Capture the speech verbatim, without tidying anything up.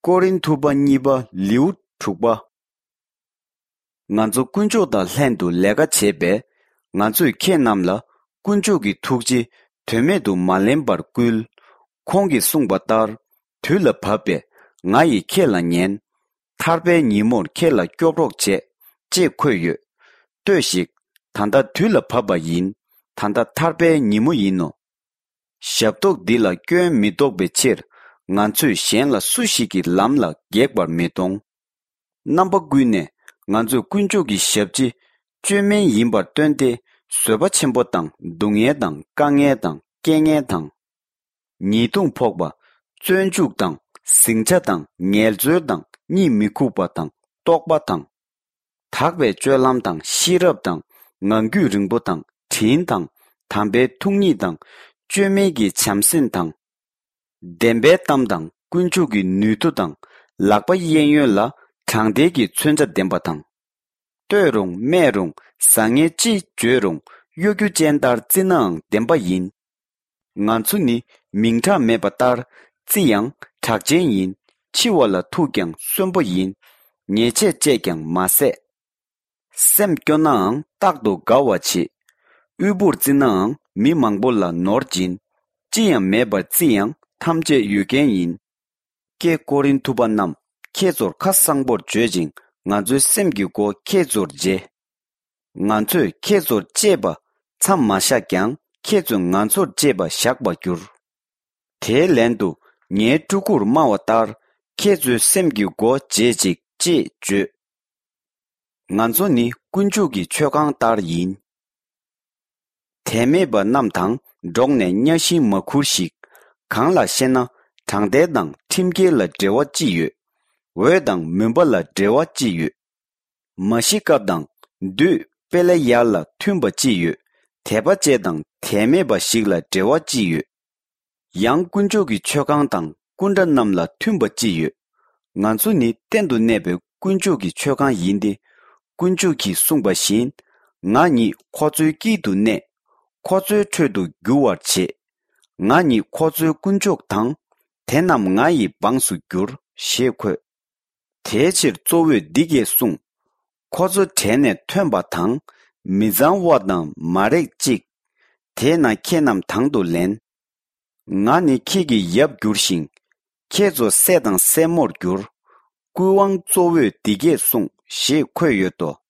ཀོ་རིན་ཐུ་པ་གཉིས་པ་ལེའུ་དྲུག་པ། ང་ཚོ་དཀོན་མཆོག་དང་ལྷན་དུ་ལས་ཀ་བྱེད་པས། ང་ཚོས་ཁྱེད་རྣམས་ལ་དཀོན་མཆོག་གི་ཐུགས་རྗེ་དོན་མེད་དུ་མ་ལེན་པར་བསྐུལ། ཁོང་གིས་གསུངས་པ་ལྟར། དུས་ལ་བབ་པས་ང་ཡིས་ཁྱེད་ལ་ཉན། ཐར་པའི་ཉིན་མོར་ཁྱེད་ལ་སྐྱོབ་རོགས་བྱེད། ཅེས་འཁོད་ཡོད། ལྟོས་ཤིག། ད་ལྟ་དུས་ལ་བབ་པ་ཡིན། ད་ལྟ་ཐར་པའི་ཉིན་མོ་ཡིན་ནོ། ཞབས་ཏོག་འདི་ལ་སྐྱོན་མི་འདོགས་པའི་ཕྱིར། ང་ཚོས་གཞན་ལ་སུ་ཞིག་གི་ལམ་ལ་འགེགས་པར་མི་གཏོང་། རྣམ་པ་ཀུན་ནས་ང་ཚོས་དཀོན་མཆོག་གི་ཞབས་ཕྱི་བཅོས་མིན་ཡིན་པར་སྟོན་ཏེ། བཟོད་པ་ཆེན་པོ་དང་སྡུག་བསྔལ་དང་དཀའ་ངལ་དང་རྐྱེན་ངན་དང་། ཉེས་རྡུང་ཕོག་པ། བཙོན་འཇུག་དང་ཟིང་ཆ་དང་ངལ་རྩོལ་དང་གཉིད་མི་ཁུག་པ་དང་ལྟོགས་པ་དང་། དག་པའི་སྤྱོད་ལམ་དང་ཤེས་རབ་དང་ངང་རྒྱུད་རིང་པོ་དང་དྲིན་དང་དམ་པའི་ཐུགས་ཉིད་དང་བཅོས་མིན་གྱི་བྱམས་སེམས་དང་། བདེན་པའི་གཏམ་དང་དཀོན་མཆོག་གི་ནུས་མཐུ་དང་ལག་པ་གཡས་གཡོན་ལ་དྲང་བདེན་གྱི་མཚོན་ཆ་ལྡན་པ་དང་། བསྟོད་རུང་སྨད་རུང་བཟང་ངན་ཅི་བརྗོད་རུང་གཡོ་སྒྱུ་ཅན་ལྟར་བརྩི་ནའང་བདེན་པ་ཡིན། ང་ཚོ་ནི་མིང་གྲགས་མེད་པ་ལྟར་བརྩི་ཡང་གྲགས་ཅན་ཡིན། འཆི་བ་ལ་ཐུག་ཀྱང་གསོན་པོ་ཡིན། ཉེས་ཆད་བཅད་ཀྱང་མ་ཟད། སེམས་སྐྱོ་ནའང་རྟག་ཏུ་དགའ་བ་བྱེད། དབུལ་པོར་བརྩི་ནའང་མི་མང་པོ་ལ་ནོར་སྦྱིན། ཅི་ཡང་མེད་པར་བརྩི་ཡང་ཐམས་ཅད་ཡོད་མཁན་ཡིན། ཀྱེ་ཀོ་རིན་ཐུ་པ་རྣམས། ཁྱེད་ཚོར་ཁ་གསང་པོར་བརྗོད་ཅིང་ང་ཚོའི་སེམས་ཀྱི་སྒོ་ཁྱེད་ཚོར་འབྱེད། ང་ཚོས་ཁྱེད་ཚོར་གཅེས་པ་མཚམས་མ་བཞག་ཀྱང་ཁྱེད་ཚོས་ང་ཚོར་གཅེས་པ་བཞག་པར་འགྱུར། དེའི་ལན་དུ་ངའི་ཕྲུ་གུར་སྨྲ་བ་ལྟར་ཁྱེད་ཚོའི་སེམས་ཀྱི་སྒོ་འབྱེད་ཅིག་ཅེས་བརྗོད། ང་ཚོ་ནི་དཀོན་མཆོག་གི་མཆོད་ཁང་ལྟར་ཡིན། དད་མེད་པ་རྣམས་དང་འགྲོགས་ནས་གཉའ་ཤིང་མ་ཁུར་ཞིག། གང་ལགས་ཤེ་ན། དྲང་བདེན་དང་ཁྲིམས་འགལ་ལ་འབྲེལ་བ་ཅི་ཡོད། འོད་དང་མུན་པ་ལ་འབྲེལ་བ་ཅི་ཡོད། མ་ཤི་ཀ་དང་བདུད་པེ་ལེ་ཡཱལ་ལ་མཐུན་པ་ཅི་ཡོད། དད་པ་ཅན་དང་དད་མེད་པ་ཞིག་ལ་འབྲེལ་བ་ཅི་ཡོད། ཡང་དཀོན་མཆོག་གི་མཆོད་ཁང་དང་སྐུ་འདྲ་རྣམས་ལ་མཐུན་པ་ཅི་ཡོད། ང་ཚོ་ནི་གཏན་དུ་གནས་པའི་དཀོན་མཆོག་གི་མཆོད་ཁང་ཡིན་ཏེ། དཀོན་མཆོག་གིས་གསུངས་པ་བཞིན། ང་ཉིད་ཁོ་ཚོའི་དཀྱིལ་དུ་གནས། ཁོ་ཚོའི་ཁྲོད་དུ་རྒྱུ་བར་བྱེད། ང་ཉིད་ཁོ་ཚོའི་དཀོན་མཆོག་དང་། དེ་རྣམས་ང་ཡི་འབངས་སུ་འགྱུར། ཞེས་འཁོད། དེའི་ཕྱིར་གཙོ་བོས་འདི་སྐད་གསུངས། ཁོ་ཚོ་གྲལ་ནས་ཐོན་པ་དང་། མི་གཙང་བ་དང་མ་རེག་ཅིག། དེས་ན་ཁྱེད་རྣམས་དང་དུ་ལེན། ང་ནི་ཁྱེད་ཀྱི་ཡབ་འགྱུར་ཞིང་། ཁྱེད་ཚོ་སྲས་དང་སྲས་མོར་འགྱུར། སྐུའི་དབང་གཙོ་བོས་འདི་སྐད་གསུངས་ཞེས་འཁོད་ཡོད་དོ།